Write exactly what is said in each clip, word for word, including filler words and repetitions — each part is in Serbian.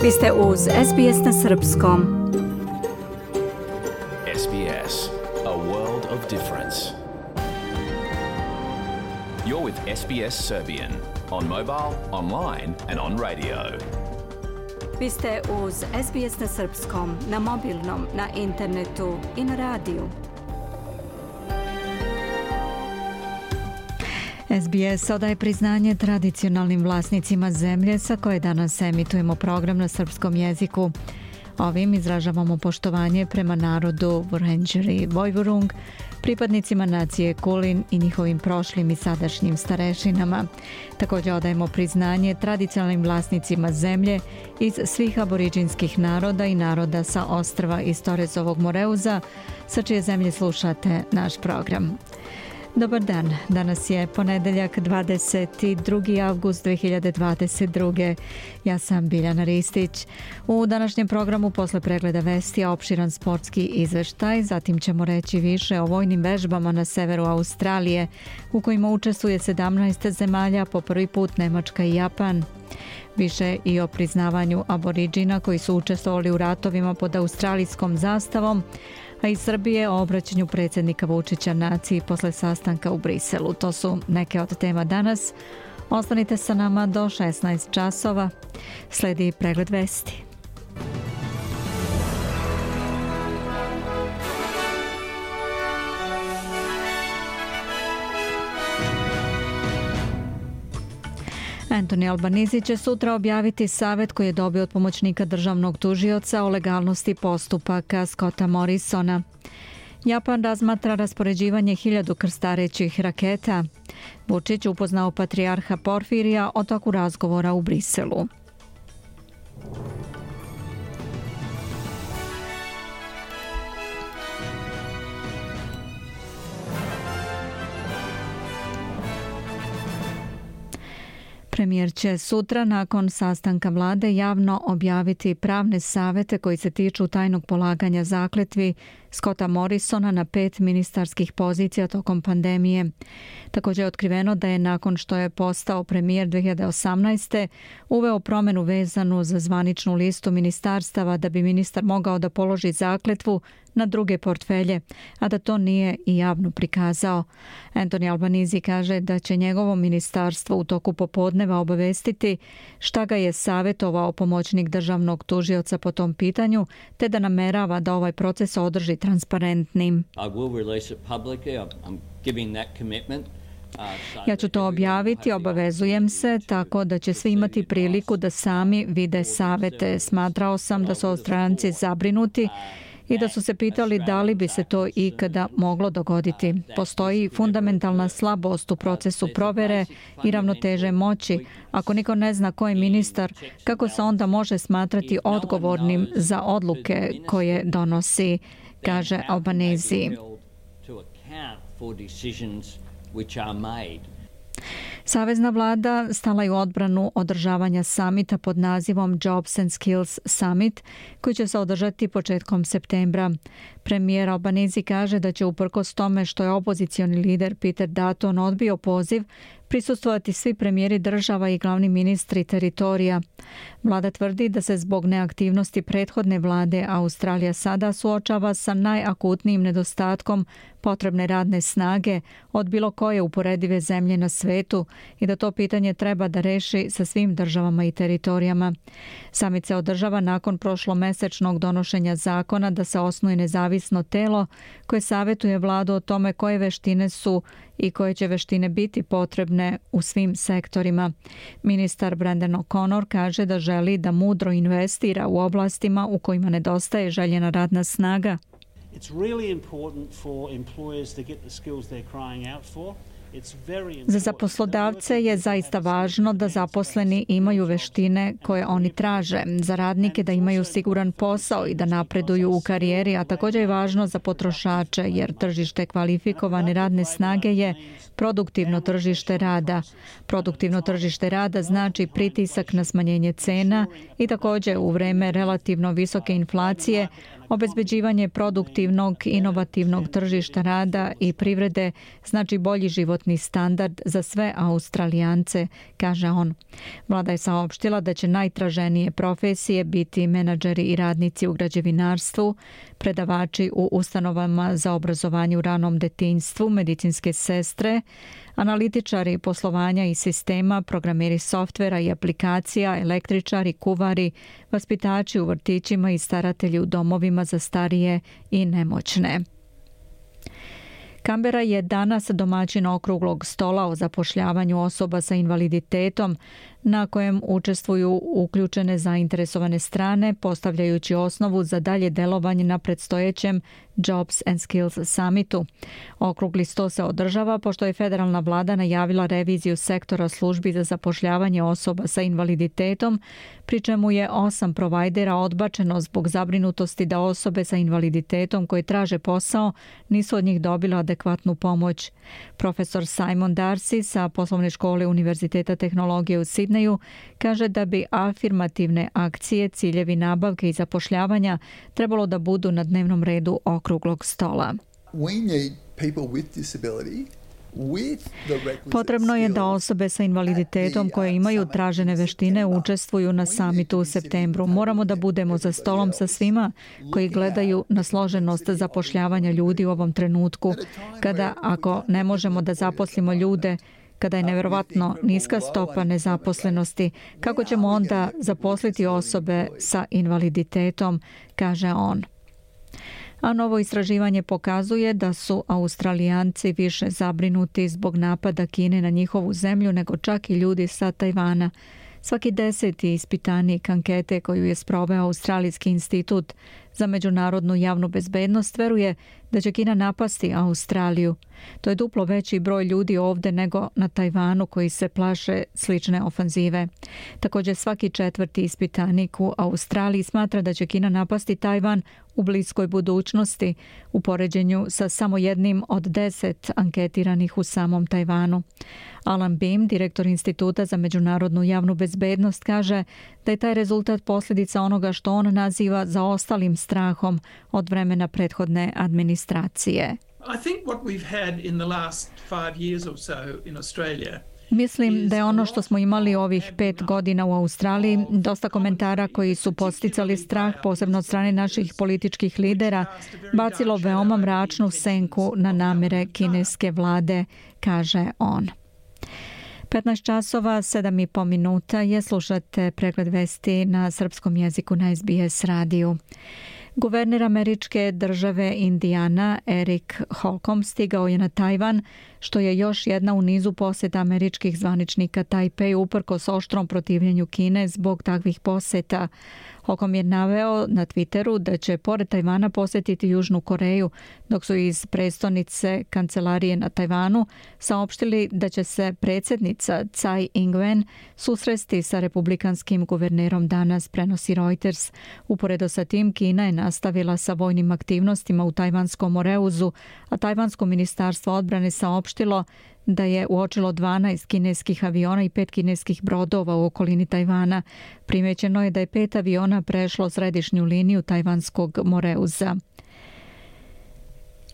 Vi ste uz S B S na srpskom. S B S, a world of difference. You're with S B S Serbian on mobile, online and on radio. Vi ste uz S B S na srpskom, na mobilnom, na internetu i na radiju. S B S odaje priznanje tradicionalnim vlasnicima zemlje sa koje danas emitujemo program na srpskom jeziku. Ovim izražavamo poštovanje prema narodu Wurundjeri Woiwurrung, pripadnicima nacije Kulin i njihovim prošlim i sadašnjim starešinama. Također odajemo priznanje tradicionalnim vlasnicima zemlje iz svih aboriđinskih naroda i naroda sa ostrva iz Torezovog Moreuza, sa čije zemlje slušate naš program. Dobar dan, danas je ponedeljak dvadeset drugi avgust dve hiljade dvadeset druge. Ja sam Biljana Ristić. U današnjem programu posle pregleda vesti opširan sportski izveštaj, zatim ćemo reći više o vojnim vežbama na severu Australije u kojima učestvuje sedamnaest zemalja, po prvi put Nemačka i Japan. Više i o priznavanju aboriđina koji su učestvovali u ratovima pod australijskom zastavom, a iz Srbije o obraćanju predsjednika Vučića naciji posle sastanka u Briselu. To su neke od tema danas. Ostanite sa nama do šesnaest časova. Sledi pregled vesti. Anthony Albanese će sutra objaviti savjet koji je dobio od pomoćnika državnog tužioca o legalnosti postupaka Scotta Morrisona. Japan razmatra raspoređivanje hiljadu krstarećih raketa. Vučić upoznao patrijarha Porfirija o toku razgovora u Briselu. Premijer će sutra nakon sastanka vlade javno objaviti pravne savete koji se tiču tajnog polaganja zakletvi Scotta Morrisona na pet ministarskih pozicija tokom pandemije. Također je otkriveno da je nakon što je postao premijer dve hiljade osamnaeste. uveo promjenu vezanu za zvaničnu listu ministarstava da bi ministar mogao da položi zakletvu na druge portfelje, a da to nije i javno prikazao. Anthony Albanese kaže da će njegovo ministarstvo u toku popodneva obavestiti šta ga je savjetovao pomoćnik državnog tužioca po tom pitanju, te da namerava da ovaj proces održi transparentnim. Ja ću to objaviti, obavezujem se, tako da će svi imati priliku da sami vide savete. Smatrao sam da su Australijci zabrinuti i da su se pitali da li bi se to ikada moglo dogoditi. Postoji fundamentalna slabost u procesu provere i ravnoteže moći. Ako niko ne zna ko je ministar, kako se onda može smatrati odgovornim za odluke koje donosi, kaže Albanese. Savezna vlada stala je u odbranu održavanja samita pod nazivom Jobs and Skills Summit, koji će se održati početkom septembra. Premijer Albanese kaže da će uprkos tome što je opozicioni lider Peter Dutton odbio poziv, prisustvovati svi premijeri država i glavni ministri teritorija. Vlada tvrdi da se zbog neaktivnosti prethodne vlade Australija sada suočava sa najakutnijim nedostatkom potrebne radne snage od bilo koje uporedive zemlje na svetu i da to pitanje treba da reši sa svim državama i teritorijama. Samit se održava nakon prošlomesečnog donošenja zakona da se osnuje nezavisno telo koje savjetuje vladu o tome koje veštine su i koje će veštine biti potrebne u svim sektorima. Ministar Brendan O'Connor kaže da želi da mudro investira u oblastima u kojima nedostaje željena radna snaga. Za poslodavce je zaista važno da zaposleni imaju veštine koje oni traže, za radnike da imaju siguran posao i da napreduju u karijeri, a također je važno za potrošače jer tržište kvalifikovane radne snage je produktivno tržište rada. Produktivno tržište rada znači pritisak na smanjenje cena i također u vreme relativno visoke inflacije Obezbeđivanje produktivnog, inovativnog tržišta rada i privrede znači bolji životni standard za sve Australijance, kaže on. Vlada je saopštila da će najtraženije profesije biti menadžeri i radnici u građevinarstvu, predavači u ustanovama za obrazovanje u ranom detinjstvu, medicinske sestre, analitičari poslovanja i sistema, programeri softvera i aplikacija, električari, kuvari, vaspitači u vrtićima i staratelji u domovima za starije i nemoćne. Kambera je danas domaćin okruglog stola o zapošljavanju osoba sa invaliditetom, na kojem učestvuju uključene zainteresovane strane, postavljajući osnovu za dalje delovanje na predstojećem Jobs and Skills Summitu. Okrugli sto se održava pošto je federalna vlada najavila reviziju sektora službi za zapošljavanje osoba sa invaliditetom, pri čemu je osam provajdera odbačeno zbog zabrinutosti da osobe sa invaliditetom koje traže posao nisu od njih dobile adekvatnu pomoć. Profesor Simon Darcy sa poslovne škole Univerziteta tehnologije u Sidneju kaže da bi afirmativne akcije, ciljevi nabavke i zapošljavanja trebalo da budu na dnevnom redu okruglog stola. Potrebno je da osobe sa invaliditetom koje imaju tražene veštine učestvuju na samitu u septembru. Moramo da budemo za stolom sa svima koji gledaju na složenost zapošljavanja ljudi u ovom trenutku, kada ako ne možemo da zaposlimo ljude, kada je nevjerovatno niska stopa nezaposlenosti, kako ćemo onda zaposliti osobe sa invaliditetom, kaže on. A novo istraživanje pokazuje da su Australijanci više zabrinuti zbog napada Kine na njihovu zemlju nego čak i ljudi sa Tajvana. Svaki deseti ispitanik ankete koju je sproveo Australijski institut za međunarodnu javnu bezbednost veruje da će Kina napasti Australiju. To je duplo veći broj ljudi ovde nego na Tajvanu koji se plaše slične ofanzive. Također svaki četvrti ispitanik u Australiji smatra da će Kina napasti Tajvan u bliskoj budućnosti u poređenju sa samo jednim od deset anketiranih u samom Tajvanu. Alan Beam, direktor Instituta za međunarodnu javnu bezbednost, kaže da je taj rezultat posljedica onoga što on naziva zaostalim strahom od vremena prethodne administracije. Mislim da je ono što smo imali ovih pet godina u Australiji, dosta komentara koji su podsticali strah, posebno od strane naših političkih lidera, bacilo veoma mračnu senku na namere kineske vlade, kaže on. petnaest časova, sedam i po minuta je, slušate pregled vesti na srpskom jeziku na S B S radiju. Guverner američke države Indijana Eric Holcomb stigao je na Tajvan, što je još jedna u nizu poseta američkih zvaničnika Tajpeju uprkos oštrom protivljenju Kine zbog takvih poseta. Holcomb je naveo na Twitteru da će pored Tajvana posjetiti Južnu Koreju, dok su iz prestonice kancelarije na Tajvanu saopštili da će se predsjednica Tsai Ing-wen susresti sa republikanskim guvernerom danas, prenosi Reuters. Uporedo sa tim, Kina je nastavila sa vojnim aktivnostima u tajvanskom Moreuzu, a tajvansko ministarstvo odbrane saopštilo da je uočilo dvanaest kineskih aviona i pet kineskih brodova u okolini Tajvana. Primećeno je da je pet aviona prešlo središnju liniju tajvanskog Moreuza.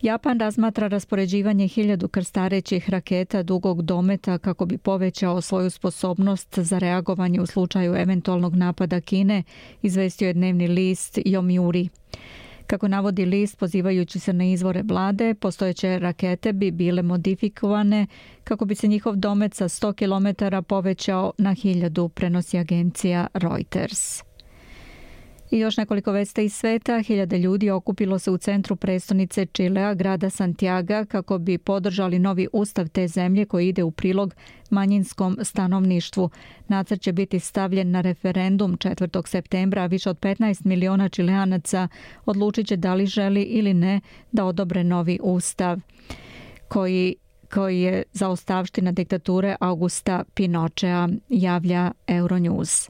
Japan razmatra raspoređivanje hiljadu krstarećih raketa dugog dometa kako bi povećao svoju sposobnost za reagovanje u slučaju eventualnog napada Kine, izvestio je dnevni list Yomiuri. Kako navodi list, pozivajući se na izvore vlade, postojeće rakete bi bile modifikovane kako bi se njihov domet sa sto kilometara povećao na hiljadu, prenosi agencija Reuters. I još nekoliko vesti iz sveta. Hiljade ljudi okupilo se u centru prestonice Čilea, grada Santiago, kako bi podržali novi ustav te zemlje koji ide u prilog manjinskom stanovništvu. Nacrt će biti stavljen na referendum četvrtog septembra, a više od petnaest miliona Čileanaca odlučit će da li želi ili ne da odobre novi ustav koji koji je zaostavština diktature Augusta Pinochea, javlja Euronews.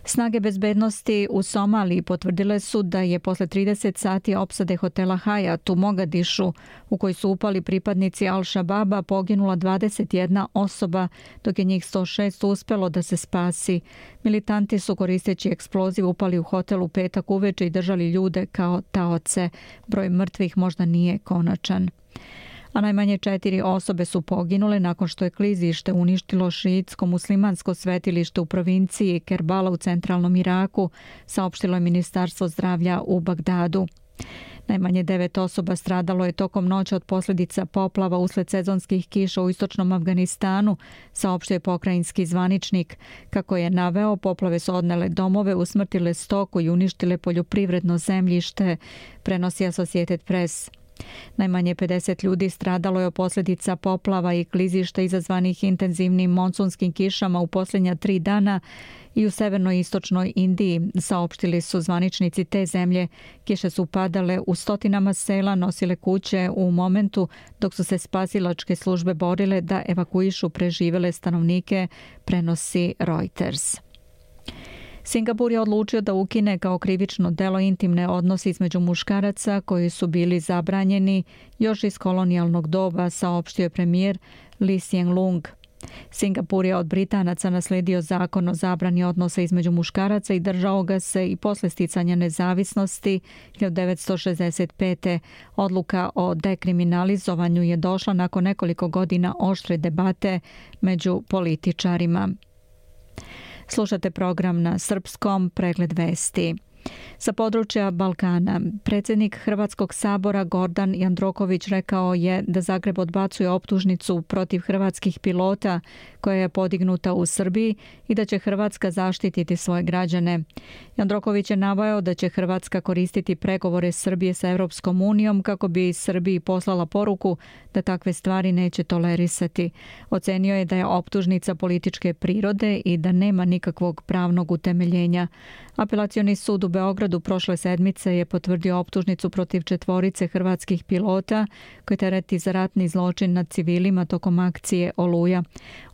Snage bezbednosti u Somaliji potvrdile su da je posle trideset sati opsade hotela Hajat u Mogadišu, u koji su upali pripadnici Al-Shababa, poginula dvadeset jedna osoba, dok je njih sto šest uspelo da se spasi. Militanti su koristeći eksploziv upali u hotel u petak uveče i držali ljude kao taoce. Broj mrtvih možda nije konačan. A najmanje četiri osobe su poginule nakon što je klizište uništilo šiitsko-muslimansko svetilište u provinciji Kerbala u centralnom Iraku, saopštilo je Ministarstvo zdravlja u Bagdadu. Najmanje devet osoba stradalo je tokom noći od posljedica poplava usled sezonskih kiša u istočnom Afganistanu, saopštio je pokrajinski zvaničnik. Kako je naveo, poplave su odnele domove, usmrtile stoku i uništile poljoprivredno zemljište, prenosi Associated Press. Najmanje pedeset ljudi stradalo je od posljedica poplava i klizišta izazvanih intenzivnim monsunskim kišama u posljednja tri dana i u severnoj i istočnoj Indiji, saopštili su zvaničnici te zemlje. Kiše su padale u stotinama sela, nosile kuće u momentu dok su se spasilačke službe borile da evakuišu preživele stanovnike, prenosi Reuters. Singapur je odlučio da ukine kao krivično delo intimne odnose između muškaraca koji su bili zabranjeni još iz kolonijalnog doba, saopštio je premijer Lee Hsien Loong. Singapur je od Britanaca naslijedio zakon o zabrani odnosa između muškaraca i držao ga se i posle sticanja nezavisnosti hiljadu devetsto šezdeset pete. Odluka o dekriminalizovanju je došla nakon nekoliko godina oštre debate među političarima. Slušate program na srpskom, pregled vesti. Sa područja Balkana, predsjednik Hrvatskog sabora Gordan Jandroković rekao je da Zagreb odbacuje optužnicu protiv hrvatskih pilota koja je podignuta u Srbiji i da će Hrvatska zaštititi svoje građane. Jandroković je naveo da će Hrvatska koristiti pregovore Srbije sa Europskom unijom kako bi Srbiji poslala poruku da takve stvari neće tolerisati. Ocenio je da je optužnica političke prirode i da nema nikakvog pravnog utemeljenja. Apelacioni sud u Beogradu prošle sedmice je potvrdio optužnicu protiv četvorice hrvatskih pilota koji tereti za ratni zločin nad civilima tokom akcije Oluja.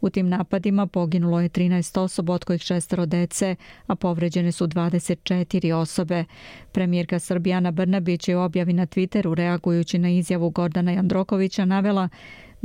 U tim napadima poginulo je trinaest osoba, od kojih šestero dece, a povređene su dvadeset četiri osobe. Premijerka Srbije Ana Brnabić je u objavi na Twitteru, reagujući na izjavu Gordana Jandrokovića, navela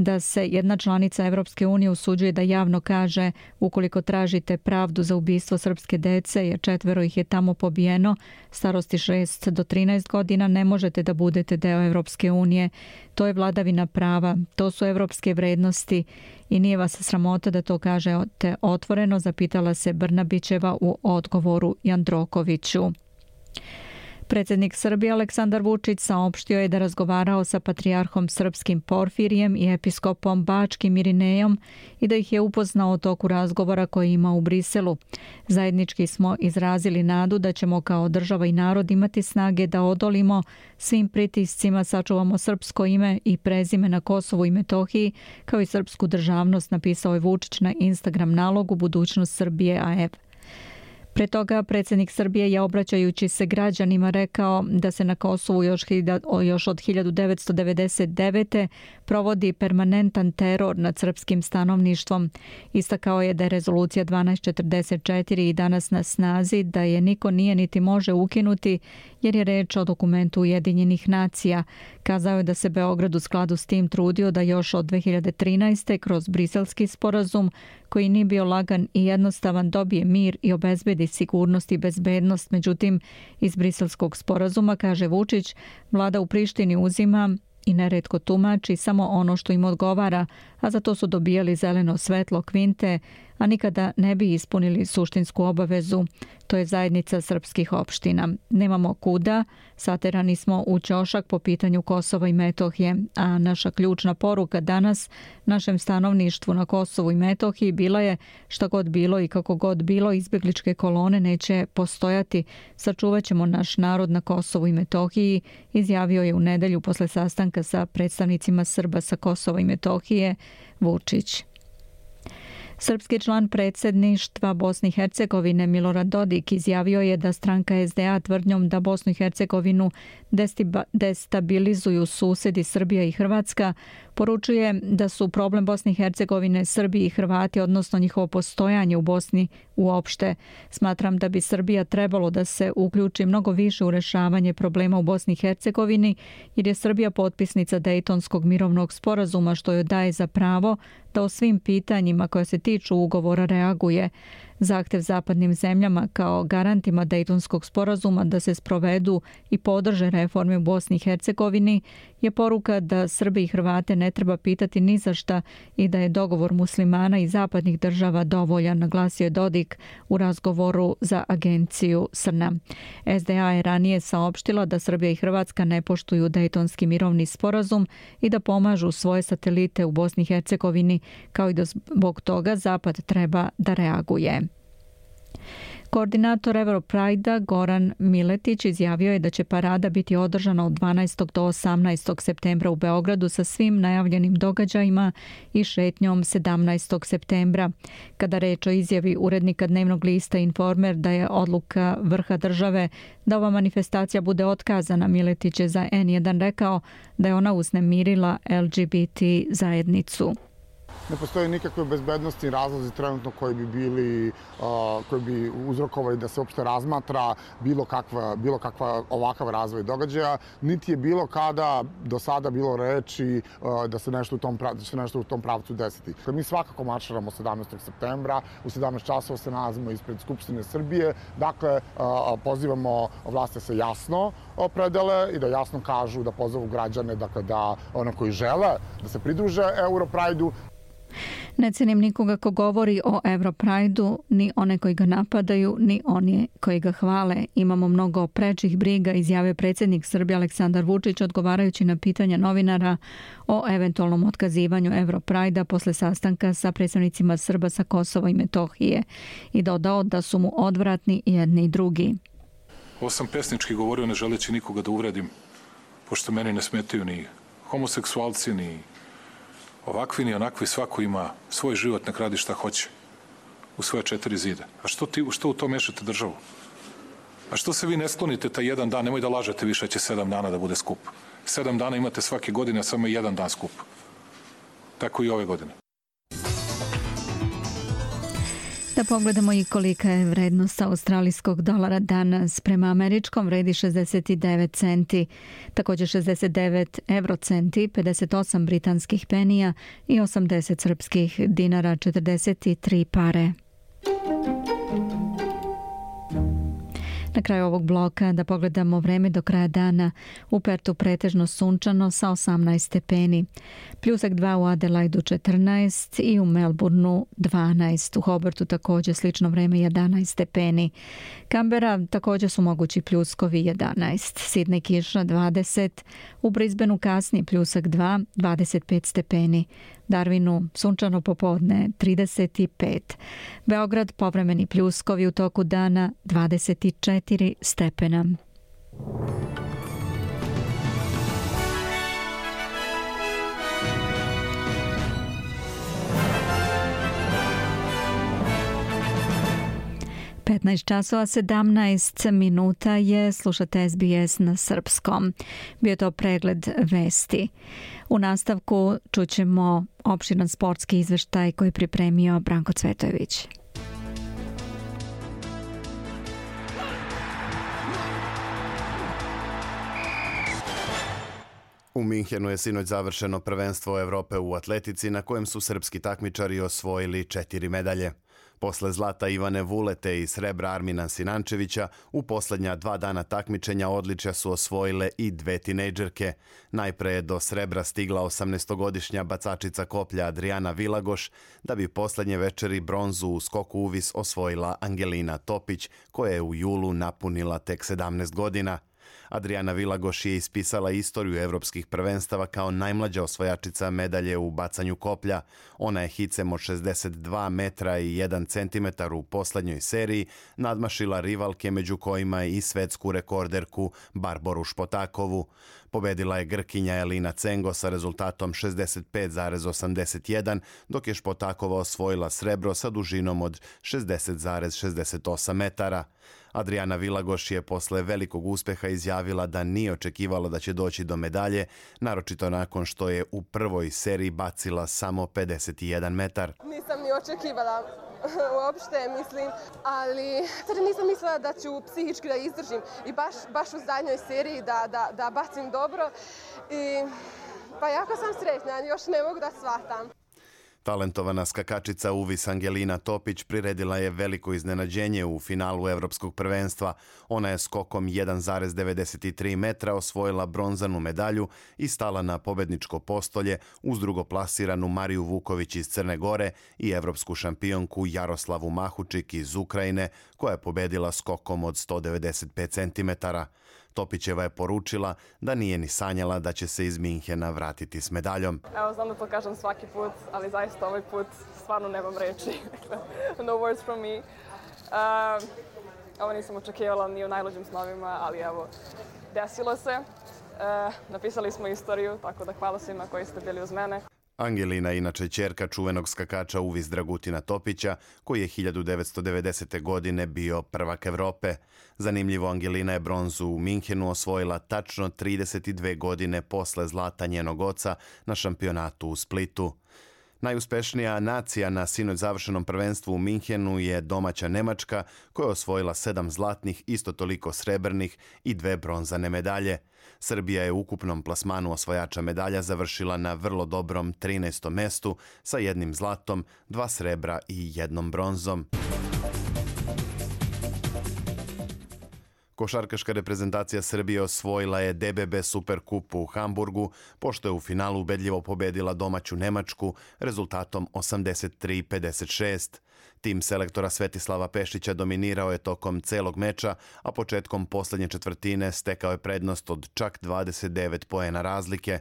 da se jedna članica Evropske unije usuđuje da javno kaže ukoliko tražite pravdu za ubistvo srpske dece, jer četvero ih je tamo pobijeno, starosti šest do trinaest godina, ne možete da budete deo Evropske unije. To je vladavina prava, to su evropske vrednosti i nije vas sramota da to kažete otvoreno, zapitala se Brnabićeva u odgovoru Jandrokoviću. Predsjednik Srbije Aleksandar Vučić saopštio je da razgovarao sa patrijarhom srpskim Porfirijem i episkopom bačkim Irinejom i da ih je upoznao o toku razgovora koji ima u Briselu. Zajednički smo izrazili nadu da ćemo kao država i narod imati snage da odolimo svim pritiscima, sačuvamo srpsko ime i prezime na Kosovu i Metohiji, kao i srpsku državnost, napisao je Vučić na Instagram nalogu Budućnost Srbije A F. Pre toga predsjednik Srbije je, obraćajući se građanima, rekao da se na Kosovu još, još od hiljadu devetsto devedeset devete provodi permanentan teror nad srpskim stanovništvom. Istakao je da je rezolucija dvanaest četrdeset četiri i danas na snazi, da je niko nije niti može ukinuti jer je reč o dokumentu Ujedinjenih nacija. Kazao je da se Beograd u skladu s tim trudio da još od dve hiljade trinaeste kroz Briselski sporazum, koji nije bio lagan i jednostavan, dobije mir i obezbedi sigurnost i bezbednost. Međutim, iz Briselskog sporazuma, kaže Vučić, vlada u Prištini uzima i neretko tumači samo ono što im odgovara, a za to su dobijali zeleno svetlo kvinte, a nikada ne bi ispunili suštinsku obavezu. To je zajednica srpskih opština. Nemamo kuda, saterani smo u ćošak po pitanju Kosova i Metohije, a naša ključna poruka danas našem stanovništvu na Kosovu i Metohiji bila je šta god bilo i kako god bilo, izbjegličke kolone neće postojati. Sačuvat ćemo naš narod na Kosovu i Metohiji, izjavio je u nedelju posle sastanka sa predstavnicima Srba sa Kosova i Metohije Vučić. Srpski član predsjedništva Bosne i Hercegovine Milorad Dodik izjavio je da stranka S D A tvrdnjom da Bosnu i Hercegovinu destabilizuju susjedi Srbija i Hrvatska Poručuje da su problem Bosne i Hercegovine Srbi i Hrvati, odnosno njihovo postojanje u Bosni uopšte. Smatram da bi Srbija trebalo da se uključi mnogo više u rešavanje problema u Bosni i Hercegovini, jer je Srbija potpisnica Dejtonskog mirovnog sporazuma, što joj daje za pravo da o svim pitanjima koja se tiču ugovora reaguje. Zahtev zapadnim zemljama kao garantima Dejtonskog sporazuma da se sprovedu i podrže reforme u Bosni i Hercegovini je poruka da Srbi i Hrvate ne treba pitati ni za šta i da je dogovor muslimana i zapadnih država dovoljan, naglasio je Dodik u razgovoru za agenciju S R N A. S D A je ranije saopštila da Srbija i Hrvatska ne poštuju Dejtonski mirovni sporazum i da pomažu svoje satelite u Bosni i Hercegovini, kao i da zbog toga Zapad treba da reaguje. Koordinator Europride-a Goran Miletić izjavio je da će parada biti održana od dvanaestog do osamnaestog septembra u Beogradu sa svim najavljenim događajima i šetnjom sedamnaestog septembra. Kada reč o izjavi urednika dnevnog lista Informer da je odluka vrha države da ova manifestacija bude otkazana, Miletić je za N jedan rekao da je ona uznemirila L G B T zajednicu. Ne postoje nikakve bezbednostni razlozi trenutno koji bi bili, uh, koji bi uzrokovali da se uopšte razmatra bilo kakva, bilo kakva ovakav razvoj događaja, niti je bilo kada do sada bilo reči uh, da se nešto u tom, da se nešto u tom pravcu desiti. Mi svakako marširamo sedamnaestog septembra, u sedamnaest časova se nalazimo ispred Skupštine Srbije, dakle uh, pozivamo vlasti da se jasno opredele i da jasno kažu, da pozovu građane, dakle da ono koji žele da se pridruže Europride-u. Ne cenim nikoga ko govori o Europride-u, ni one koji ga napadaju, ni oni koji ga hvale. Imamo mnogo prečih briga, izjavio predsjednik Srbije Aleksandar Vučić odgovarajući na pitanja novinara o eventualnom otkazivanju Europride-a posle sastanka sa predstavnicima Srba sa Kosova i Metohije i dodao da su mu odvratni jedni i drugi. Ovo sam pesnički govorio ne želeći nikoga da uvredim, pošto meni ne smetaju ni homoseksualci, ni ovakvi ni onakvi, svako ima svoj život, nek radi šta hoće u svoje četiri zida. A što, ti, što u to mešate državu? A što se vi ne sklonite taj jedan dan? Nemoj da lažete više, će sedam dana da bude skup. Sedam dana imate svake godine, a samo je jedan dan skup. Tako i ove godine. Da pogledamo i kolika je vrednost australijskog dolara danas. Prema američkom vredi šezdeset devet centi, također šezdeset devet eurocenti, pedeset osam britanskih penija i osamdeset srpskih dinara, četrdeset tri pare. Na kraju ovog bloka da pogledamo vreme do kraja dana. U Pertu pretežno sunčano sa osamnaest stepeni. Pljusak dva u Adelaidu četrnaest i u Melbourneu dvanaest. U Hobartu također slično vreme jedanaest stepeni. Kambera također su mogući pljuskovi jedanaest. Sidney kiša dvadeset. U Brisbaneu kasni pljusak dva, dvadeset pet stepeni. Darwinu sunčano popodne trideset pet. Beograd povremeni pljuskovi u toku dana dvadeset četiri stepena. petnaest časova sedamnaest minuta je, slušate S B S na srpskom. Bio je to pregled vesti. U nastavku čućemo opširan sportski izveštaj koji je pripremio Branko Cvetojević. U Minhenu je sinoć završeno prvenstvo Evrope u atletici na kojem su srpski takmičari osvojili četiri medalje. Posle zlata Ivane Vulete i srebra Armina Sinančevića, u posljednja dva dana takmičenja odličja su osvojile i dve tinejdžerke. Najpre je do srebra stigla osamnaestogodišnja bacačica koplja Adriana Vilagoš, da bi posljednje večeri bronzu u skoku uvis osvojila Angelina Topić, koja je u julu napunila tek sedamnaest godina. Adriana Vilagoš je ispisala istoriju evropskih prvenstava kao najmlađa osvojačica medalje u bacanju koplja. Ona je hicem od šezdeset dva metra i jedan centimetar u poslednjoj seriji nadmašila rivalke među kojima i svetsku rekorderku Barboru Špotakovu. Pobedila je Grkinja Elina Cengo sa rezultatom šezdeset pet zarez osamdeset jedan, dok je Špotakova osvojila srebro sa dužinom od šezdeset zarez šezdeset osam metara. Adriana Vilagoš je posle velikog uspeha izjavila da nije očekivala da će doći do medalje, naročito nakon što je u prvoj seriji bacila samo pedeset jedan metar. Nisam ni očekivala uopšte, mislim, ali tada nisam mislila da ću psihički da izdržim i baš, baš u zadnjoj seriji da, da, da bacim dobro. I, pa jako sam sretna, još ne mogu da shvatam. Talentovana skakačica Uvis Angelina Topić priredila je veliko iznenađenje u finalu Evropskog prvenstva. Ona je skokom jedan zarez devedeset tri metra osvojila bronzanu medalju i stala na pobedničko postolje uz drugoplasiranu Mariju Vuković iz Crne Gore i evropsku šampionku Jaroslavu Mahučik iz Ukrajine, koja je pobedila skokom od sto devedeset pet centimetara. Topićeva je poručila da nije ni sanjala da će se iz Minhena vratiti s medaljom. Evo, znam da to kažem svaki put, ali zaista ovaj put stvarno nemam reči. No words from me. Uh, ovo nisam očekivala ni u najluđim snovima, ali evo, desilo se. Uh, napisali smo istoriju, tako da hvala svima koji ste bili uz mene. Angelina je inače ćerka čuvenog skakača Uvis Dragutina Topića, koji je hiljadu devetsto devedesete. godine bio prvak Evrope. Zanimljivo, Angelina je bronzu u Minhenu osvojila tačno trideset dve godine posle zlata njenog oca na šampionatu u Splitu. Najuspešnija nacija na sinoć završenom prvenstvu u Minhenu je domaća Nemačka, koja je osvojila sedam zlatnih, isto toliko srebrnih i dve bronzane medalje. Srbija je u ukupnom plasmanu osvajača medalja završila na vrlo dobrom trinaestom mestu sa jednim zlatom, dva srebra i jednom bronzom. Košarkaška reprezentacija Srbije osvojila je D B B Superkup u Hamburgu, pošto je u finalu ubedljivo pobedila domaću Nemačku rezultatom osamdeset tri pedeset šest. Tim selektora Svetislava Pešića dominirao je tokom celog meča, a početkom poslednje četvrtine stekao je prednost od čak dvadeset devet poena razlike.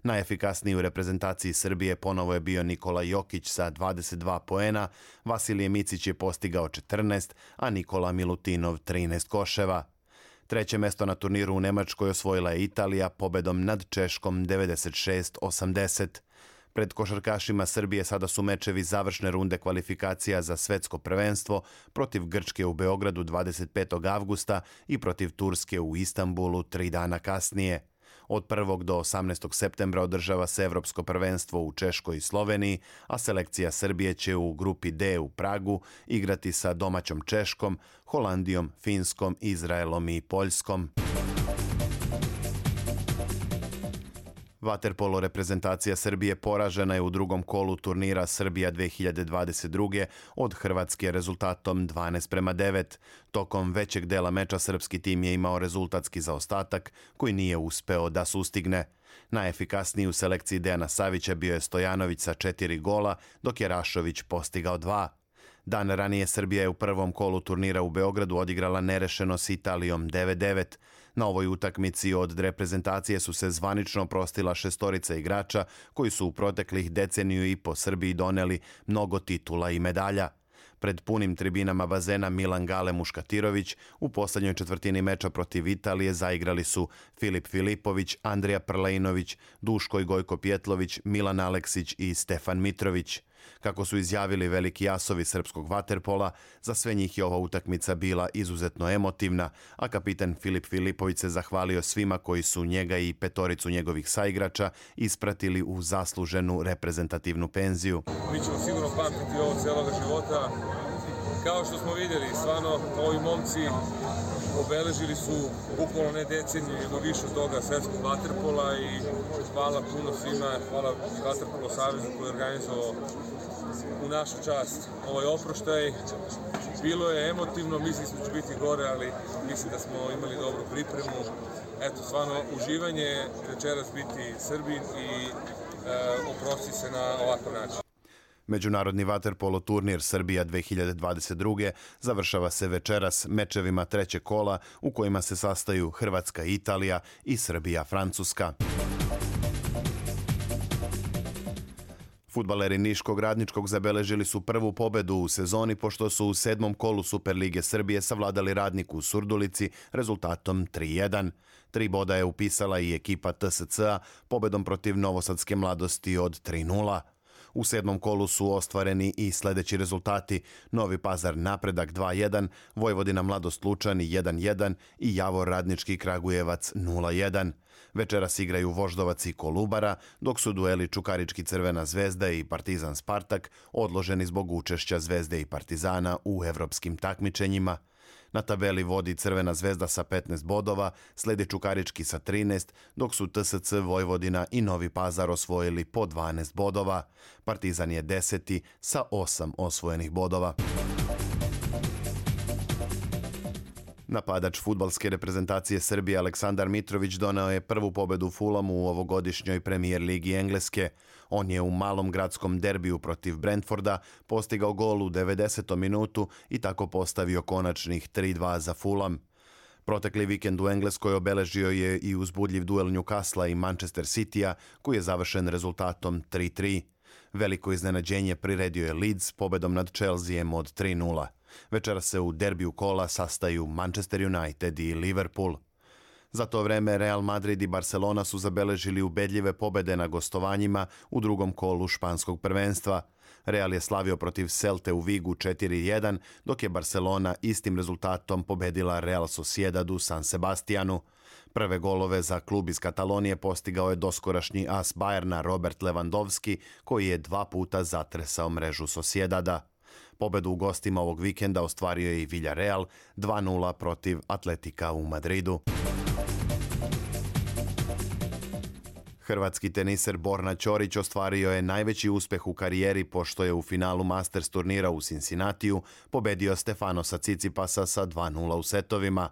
Najefikasniji u reprezentaciji Srbije ponovo je bio Nikola Jokić sa dvadeset dva poena, Vasilije Micić je postigao četrnaest, a Nikola Milutinov trinaest koševa. Treće mesto na turniru u Nemačkoj osvojila je Italija pobedom nad Češkom devedeset šest osamdeset. Pred košarkašima Srbije sada su mečevi završne runde kvalifikacija za svetsko prvenstvo protiv Grčke u Beogradu dvadeset petog avgusta i protiv Turske u Istanbulu tri dana kasnije. Od prvog do osamnaestog septembra održava se Evropsko prvenstvo u Češkoj i Sloveniji, a selekcija Srbije će u grupi D u Pragu igrati sa domaćom Češkom, Holandijom, Finskom, Izraelom i Poljskom. Vaterpolo reprezentacija Srbije poražena je u drugom kolu turnira Srbija dve hiljade dvadeset druge. od Hrvatske rezultatom dvanaest prema devet. Tokom većeg dela meča srpski tim je imao rezultatski zaostatak koji nije uspeo da sustigne. Najefikasniji u selekciji Dejana Savića bio je Stojanović sa četiri gola, dok je Rašović postigao dva. Dan ranije Srbija je u prvom kolu turnira u Beogradu odigrala nerešeno s Italijom devet devet. Na ovoj utakmici od reprezentacije su se zvanično oprostila šestorica igrača koji su u proteklih deceniju i po Srbiji doneli mnogo titula i medalja. Pred punim tribinama bazena Milan Gale Muškatirović u poslednjoj četvrtini meča protiv Italije zaigrali su Filip Filipović, Andrija Prlejnović, Duško i Gojko Pjetlović, Milan Aleksić i Stefan Mitrović. Kako su izjavili veliki asovi srpskog vaterpola, za sve njih je ova utakmica bila izuzetno emotivna, a kapitan Filip Filipović se zahvalio svima koji su njega i petoricu njegovih saigrača ispratili u zasluženu reprezentativnu penziju. Mi ćemo sigurno pamtiti ovo celoga života. Kao što smo vidjeli, stvarno ovi momci obeležili su bukvalno ne deceniju, nego više od toga svetskog vaterpola i hvala puno svima, hvala i Vaterpolo savezu koji je organizovao u našu čast ovaj oproštaj. Bilo je emotivno, mislim smo će biti gore, ali mislim da smo imali dobru pripremu. Eto, stvarno uživanje večeras biti Srbin i e, oprosti se na ovakav način. Međunarodni vaterpolo turnir Srbija dve hiljade dvadeset druge. završava se večeras mečevima trećeg kola u kojima se sastaju Hrvatska i Italija i Srbija Francuska. Fudbaleri Niškog Radničkog zabeležili su prvu pobedu u sezoni pošto su u sedmom kolu Superlige Srbije savladali Radnik u Surdulici rezultatom tri jedan. Tri boda je upisala i ekipa T S C-a pobedom protiv Novosadske Mladosti od tri nula. U sedmom kolu su ostvareni i sledeći rezultati: Novi Pazar Napredak dva jedan, Vojvodina Mladost Lučani jedan jedan i Javor Radnički Kragujevac nula jedan. Večeras igraju Voždovac i Kolubara, dok su dueli Čukarički Crvena zvezda i Partizan Spartak odloženi zbog učešća Zvezde i Partizana u evropskim takmičenjima. Na tabeli vodi Crvena zvezda sa petnaest bodova, sledi Čukarički sa trinaest, dok su T S C, Vojvodina i Novi Pazar osvojili po dvanaest bodova. Partizan je deseti sa osam osvojenih bodova. Napadač fudbalske reprezentacije Srbije Aleksandar Mitrović doneo je prvu pobedu Fulamu u ovogodišnjoj premijer ligi Engleske. On je u malom gradskom derbiju protiv Brentforda postigao gol u devedesetom minutu i tako postavio konačnih tri dva za Fulham. Protekli vikend u Engleskoj obeležio je i uzbudljiv duel Newcastle i Manchester Citya, koji je završen rezultatom tri tri. Veliko iznenađenje priredio je Leeds pobedom nad Chelseaem od tri nula. Večera se u derbiju kola sastaju Manchester United i Liverpool. Za to vreme Real Madrid i Barcelona su zabeležili ubedljive pobede na gostovanjima u drugom kolu španskog prvenstva. Real je slavio protiv Celte u Vigu četiri jedan, dok je Barcelona istim rezultatom pobedila Real Sociedad u San Sebastianu. Prve golove za klub iz Katalonije postigao je doskorašnji as Bayerna Robert Lewandowski, koji je dva puta zatresao mrežu Sociedada. Pobedu u gostima ovog vikenda ostvario je i Villarreal dva nula protiv Atletika u Madridu. Hrvatski teniser Borna Ćorić ostvario je najveći uspeh u karijeri pošto je u finalu Masters turnira u Cincinnatiju pobedio Stefanosa Tsitsipasa sa dva nula u setovima.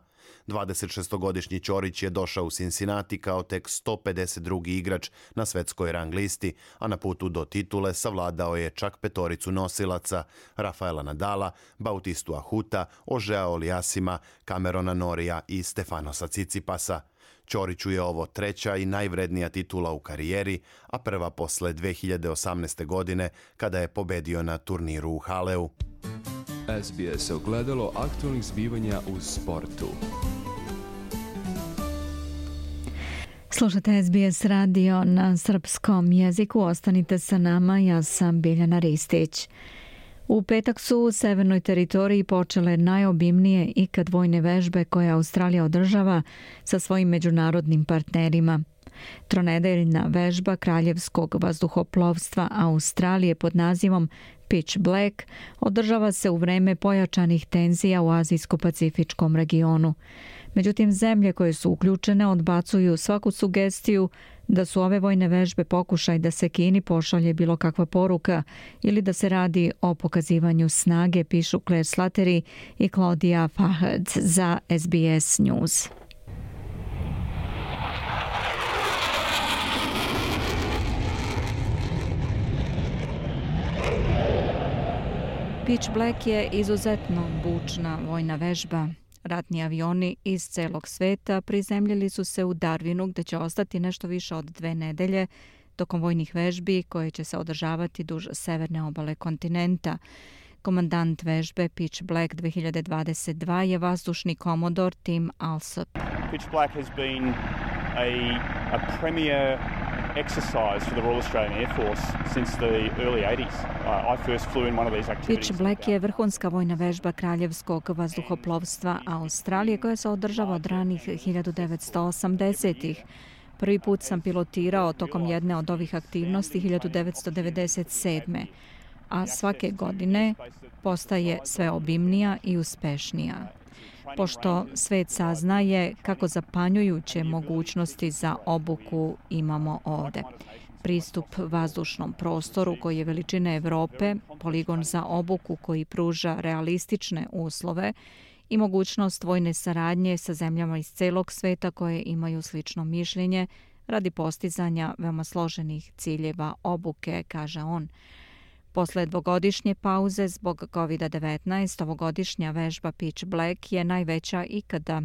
dvadesetšestogodišnji Ćorić je došao u Cincinnati kao tek sto pedeset drugi igrač na svetskoj rang listi, a na putu do titule savladao je čak petoricu nosilaca: Rafaela Nadala, Bautistu Ahuta, Ožea Oliasima, Camerona Norija i Stefanosa Tsitsipasa. Ćoriću je ovo treća i najvrednija titula u karijeri, a prva posle dve hiljade osamnaeste. godine kada je pobedio na turniru u Haleu. S B S ogledalo aktualnih zbivanja u sportu. Slušate S B S radio na srpskom jeziku. Ostanite sa nama, ja sam Biljana Ristić. U petak su u severnoj teritoriji počele najobimnije ikad vojne vežbe koje Australija održava sa svojim međunarodnim partnerima. Tronedeljna vežba Kraljevskog vazduhoplovstva Australije pod nazivom Pitch Black održava se u vreme pojačanih tenzija u Azijsko-pacifičkom regionu. Međutim, zemlje koje su uključene odbacuju svaku sugestiju da su ove vojne vežbe pokušaj da se Kini pošalje bilo kakva poruka ili da se radi o pokazivanju snage, pišu Claire Slattery i Claudia Fahad za S B S News. Pitch Black je izuzetno bučna vojna vežba. Ratni avioni iz celog sveta prizemljili su se u Darwinu, gde će ostati nešto više od dve nedelje tokom vojnih vežbi koje će se održavati duž severne obale kontinenta. Komandant vežbe Pitch Black dve hiljade dvadeset dva je vazdušni komodor Tim Alsop. Pitch Black has been a, a premier exercise for the Royal Australian Air Force since the early eighties. Uh, I first flew in one of these activities. Pitch Black je vrhunska vojna vežba Kraljevskog vazduhoplovstva Australije koja se održava od ranih hiljadu devetsto osamdesetih. Prvi put sam pilotirao tokom jedne od ovih aktivnosti hiljadu devetsto devedeset sedme. a svake godine postaje sve obimnija i uspešnija. Pošto svet saznaje kako zapanjujuće mogućnosti za obuku imamo ovde. Pristup vazdušnom prostoru koji je veličine Evrope, poligon za obuku koji pruža realistične uslove i mogućnost vojne saradnje sa zemljama iz celog sveta koje imaju slično mišljenje radi postizanja veoma složenih ciljeva obuke, kaže on. Posle dvogodišnje pauze zbog kovid devetnaest, ovogodišnja vežba Pitch Black je najveća ikada.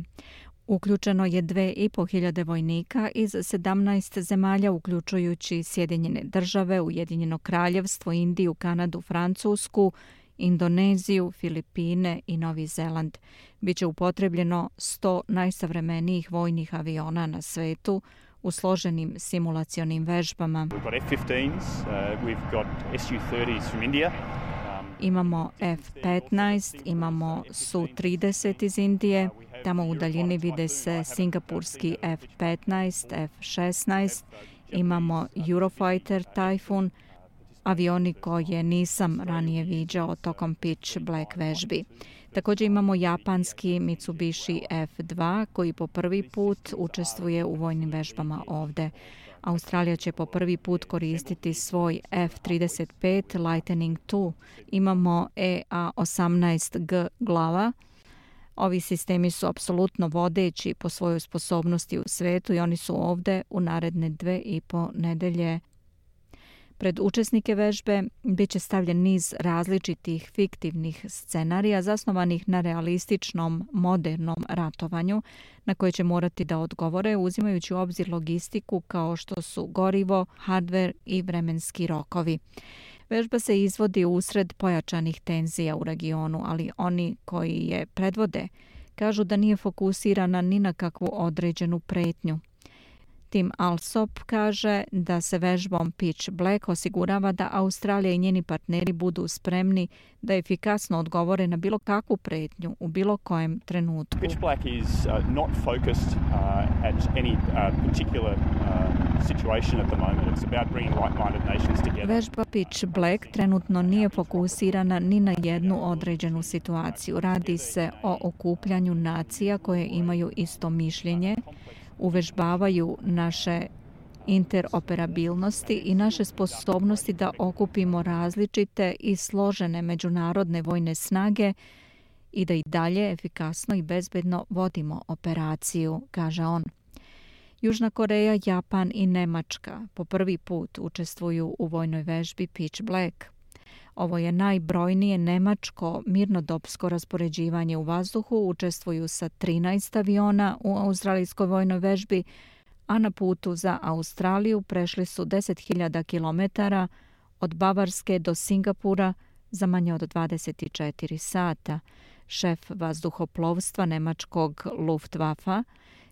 Uključeno je dve i po hiljade vojnika iz sedamnaest zemalja, uključujući Sjedinjene države, Ujedinjeno kraljevstvo, Indiju, Kanadu, Francusku, Indoneziju, Filipine i Novi Zeland. Biće upotrebljeno sto najsavremenijih vojnih aviona na svetu, u složenim simulacionim vežbama. We've got F fifteens, uh, we've got S U thirties from India. Imamo F petnaest, imamo S U trideset iz Indije, tamo u daljini vide se singapurski F petnaest, F šesnaest, imamo Eurofighter Typhoon, avioni koje nisam ranije viđao tokom Pitch Black vežbi. Također imamo japanski Mitsubishi F dva koji po prvi put učestvuje u vojnim vežbama ovde. Australija će po prvi put koristiti svoj F trideset pet Lightning dva. Imamo E A osamnaest G glava. Ovi sistemi su apsolutno vodeći po svojoj sposobnosti u svetu i oni su ovde u naredne dve i po nedelje. Pred učesnike vežbe bit će stavljen niz različitih fiktivnih scenarija zasnovanih na realističnom, modernom ratovanju na koje će morati da odgovore uzimajući u obzir logistiku kao što su gorivo, hardver i vremenski rokovi. Vežba se izvodi usred pojačanih tenzija u regionu, ali oni koji je predvode kažu da nije fokusirana ni na kakvu određenu pretnju. Tim Alsop kaže da se vežbom Pitch Black osigurava da Australija i njeni partneri budu spremni da efikasno odgovore na bilo kakvu pretnju u bilo kojem trenutku. Pitch Black is uh, not focused uh, at any uh, particular uh, situation at the moment. It's about bringing like-minded nations together. Vežba Pitch Black trenutno nije fokusirana ni na jednu određenu situaciju. Radi se o okupljanju nacija koje imaju isto mišljenje, uvežbavaju naše interoperabilnosti i naše sposobnosti da okupimo različite i složene međunarodne vojne snage i da i dalje efikasno i bezbedno vodimo operaciju, kaže on. Južna Koreja, Japan i Nemačka po prvi put učestvuju u vojnoj vežbi Pitch Black. Ovo je najbrojnije nemačko mirnodopsko raspoređivanje u vazduhu, učestvuju sa trinaest aviona u australijskoj vojnoj vežbi, a na putu za Australiju prešli su deset hiljada kilometara od Bavarske do Singapura za manje od dvadeset četiri sata. Šef vazduhoplovstva nemačkog Luftwaffe,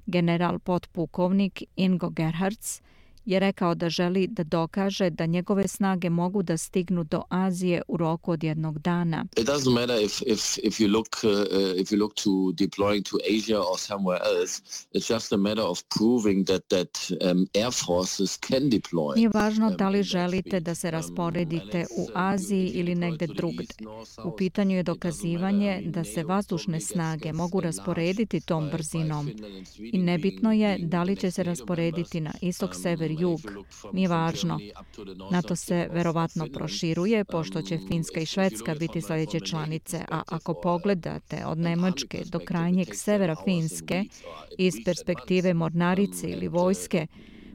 general potpukovnik Ingo Gerhards, je rekao da želi da dokaže da njegove snage mogu da stignu do Azije u roku od jednog dana. It doesn't matter if if if you look uh, if you look to deploying to Asia or somewhere else. It's just a matter of proving that that um, air forces can deploy. Nije važno da li želite da se rasporedite u Aziji ili negde drugde. U pitanju je dokazivanje da se vazdušne snage mogu rasporediti tom brzinom. I nebitno je da li će se rasporediti na istok, sever, jug. Nije važno. NATO se verovatno proširuje, pošto će Finska i Švedska biti sljedeće članice, a ako pogledate od Nemačke do krajnjeg severa Finske, iz perspektive mornarice ili vojske,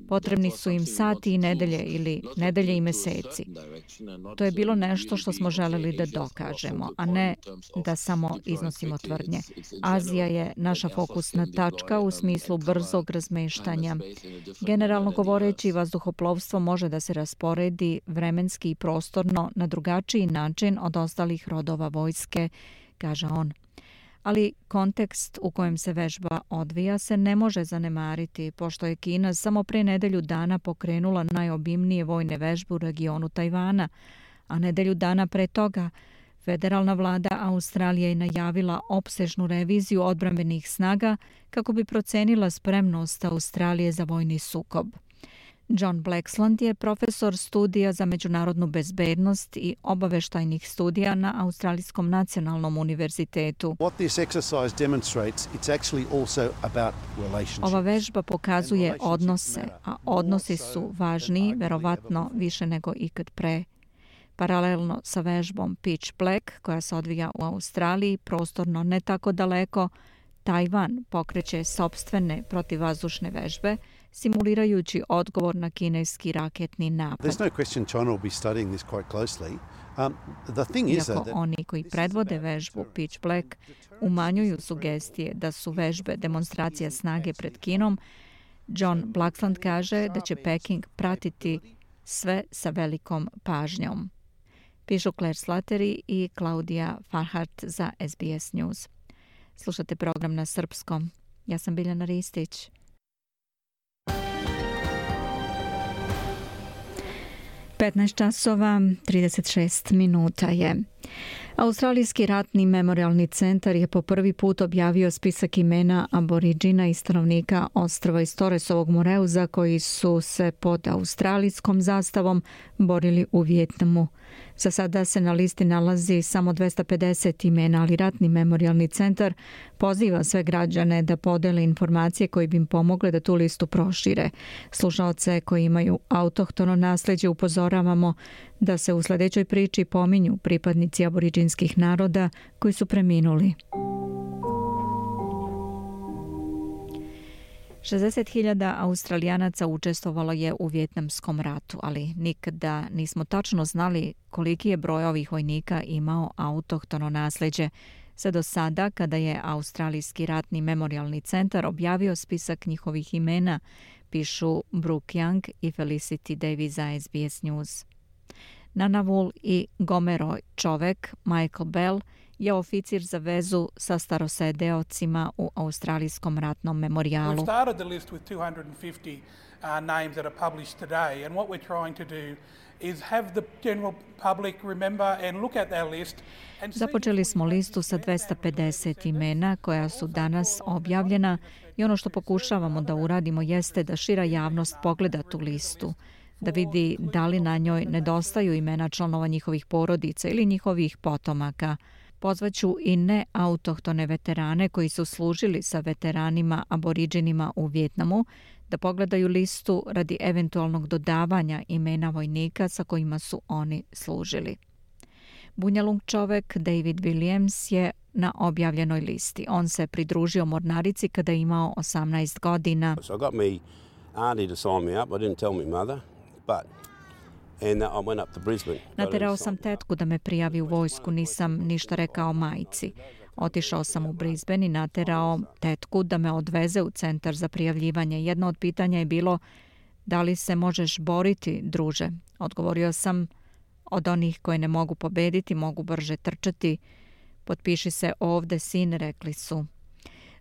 potrebni su im sati i nedelje ili nedelje i meseci. To je bilo nešto što smo želeli da dokažemo, a ne da samo iznosimo tvrdnje. Azija je naša fokusna tačka u smislu brzog razmeštanja. Generalno govoreći, vazduhoplovstvo može da se rasporedi vremenski i prostorno na drugačiji način od ostalih rodova vojske, kaže on. Ali kontekst u kojem se vežba odvija se ne može zanemariti, pošto je Kina samo pre nedelju dana pokrenula najobimnije vojne vežbe u regionu Tajvana, a nedelju dana pre toga federalna vlada Australije je najavila opsežnu reviziju odbrambenih snaga kako bi procenila spremnost Australije za vojni sukob. John Blaxland je profesor studija za međunarodnu bezbednost i obaveštajnih studija na Australijskom nacionalnom univerzitetu. Ova vežba pokazuje odnose, a odnosi su važniji, verovatno više nego ikad pre. Paralelno sa vežbom Pitch Black, koja se odvija u Australiji, prostorno ne tako daleko, Tajvan pokreće sopstvene protivvazdušne vežbe, simulirajući odgovor na kineski raketni napad. Iako oni koji predvode vežbu Pitch Black umanjuju sugestije da su vežbe demonstracija snage pred Kinom, John Blaxland kaže da će Peking pratiti sve sa velikom pažnjom. Pišu Claire Slattery i Klaudija Farhart za S B S News. Slušate program na srpskom. Ja sam Biljana Ristić. petnaest časova trideset šest minuta je. Australijski ratni memorialni centar je po prvi put objavio spisak imena aboriđina i stanovnika ostrva iz Torresovog Moreuza koji su se pod australijskom zastavom borili u Vijetnamu. Za sada se na listi nalazi samo dvesta pedeset imena, ali ratni memorialni centar poziva sve građane da podele informacije koje bi im pomogle da tu listu prošire. Slušaoce koji imaju autohtono nasleđe upozoravamo da se u sledećoj priči pominju pripadnici aboriđinskih naroda koji su preminuli. šezdeset hiljada Australijanaca učestvovalo je u Vijetnamskom ratu, ali nikada nismo tačno znali koliki je broj ovih vojnika imao autohtono nasleđe. Sve do sada, kada je Australijski ratni memorialni centar objavio spisak njihovih imena, pišu Brooke Young i Felicity Davies za S B S News. Nanavul i Gomero čovek, Michael Bell, je oficir za vezu sa starosedeocima u Australijskom ratnom memorijalu. We've started the list with two hundred fifty uh, names that are published today, and what we're trying to do is have the general public remember and look at that list. Započeli smo listu sa dvesta pedeset imena koja su danas objavljena i ono što pokušavamo da uradimo jeste da šira javnost pogleda tu listu, da vidi da li na njoj nedostaju imena članova njihovih porodica ili njihovih potomaka. Pozvaću i neautohtone veterane koji su služili sa veteranima aboriđinima u Vijetnamu da pogledaju listu radi eventualnog dodavanja imena vojnika sa kojima su oni služili. Bunjalung čovek David Williams je na objavljenoj listi. On se pridružio mornarici kada je imao osamnaest godina. So I got me auntie to sign me up. I didn't tell me mother, but And I went up to Brisbane. Naterao sam tetku da me prijavi u vojsku, nisam ništa rekao majci. Otišao sam u Brisbane i naterao tetku da me odveze u centar za prijavljivanje. Jedno od pitanja je bilo da li se možeš boriti, druže. Odgovorio sam, od onih koje ne mogu pobediti, mogu brže trčati. Potpiši se ovde, sin, rekli su.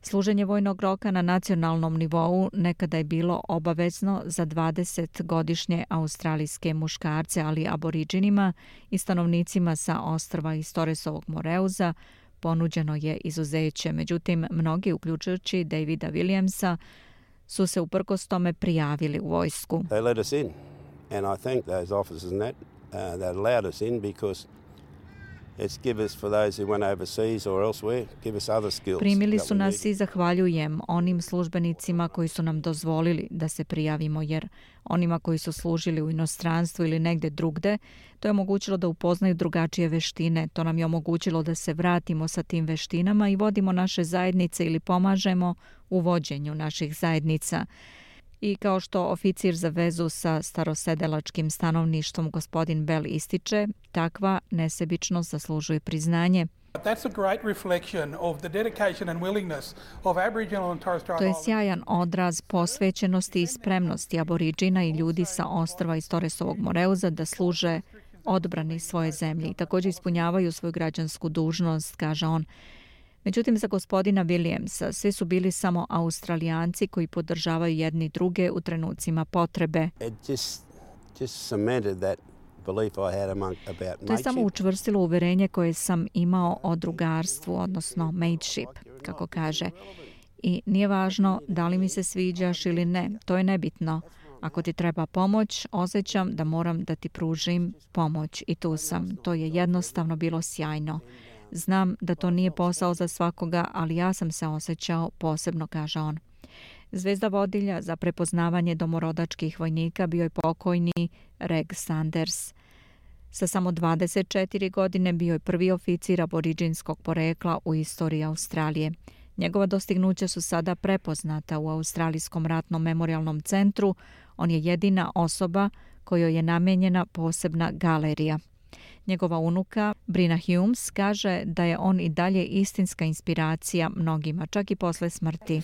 Služenje vojnog roka na nacionalnom nivou nekada je bilo obavezno za dvadesetgodišnje australijske muškarce, ali aboriđinima i stanovnicima sa ostrva iz Torresovog Moreuza ponuđeno je izuzeće. Međutim, mnogi, uključujući Davida Williamsa, su se uprkos tome prijavili u vojsku. They let us in, and I thank those officers and that uh, that allowed us in because it's give us for those who went overseas or elsewhere, give us other skills. Primili su nas i zahvaljujem onim službenicima koji su nam dozvolili da se prijavimo, jer onima koji su služili u inostranstvu ili negde drugde, to je omogućilo da upoznaju drugačije veštine. To nam je omogućilo da se vratimo sa tim veštinama i vodimo naše zajednice ili pomažemo u vođenju naših zajednica. I kao što oficir za vezu sa starosedelačkim stanovništvom gospodin Bell ističe, takva nesebičnost zaslužuje priznanje. That's a great reflection of the dedication and willingness of Aboriginal and Torres Strait To je Islanders. sjajan odraz posvećenosti i spremnosti aboriđina i ljudi sa ostrva iz Torresovog Moreuza da služe odbrani svoje zemlje i također ispunjavaju svoju građansku dužnost, kaže on. Međutim, za gospodina Williamsa svi su bili samo Australijanci koji podržavaju jedni druge u trenucima potrebe. It just just cemented that belief I had among about To je samo mateship. učvrstilo uverenje koje sam imao o drugarstvu, odnosno mateship, kako kaže. I nije važno da li mi se sviđaš ili ne, to je nebitno. Ako ti treba pomoć, osjećam da moram da ti pružim pomoć i tu sam. To je jednostavno bilo sjajno. Znam da to nije posao za svakoga, ali ja sam se osjećao posebno, kaže on. Zvezda vodilja za prepoznavanje domorodačkih vojnika bio je pokojni Reg Sanders. Sa samo dvadeset četiri godine bio je prvi oficir aboriđinskog porekla u istoriji Australije. Njegova dostignuća su sada prepoznata u Australijskom ratnom memorialnom centru. On je jedina osoba kojoj je namenjena posebna galerija. Njegova unuka, Brina Humes, kaže da je on i dalje istinska inspiracija mnogima, čak i posle smrti.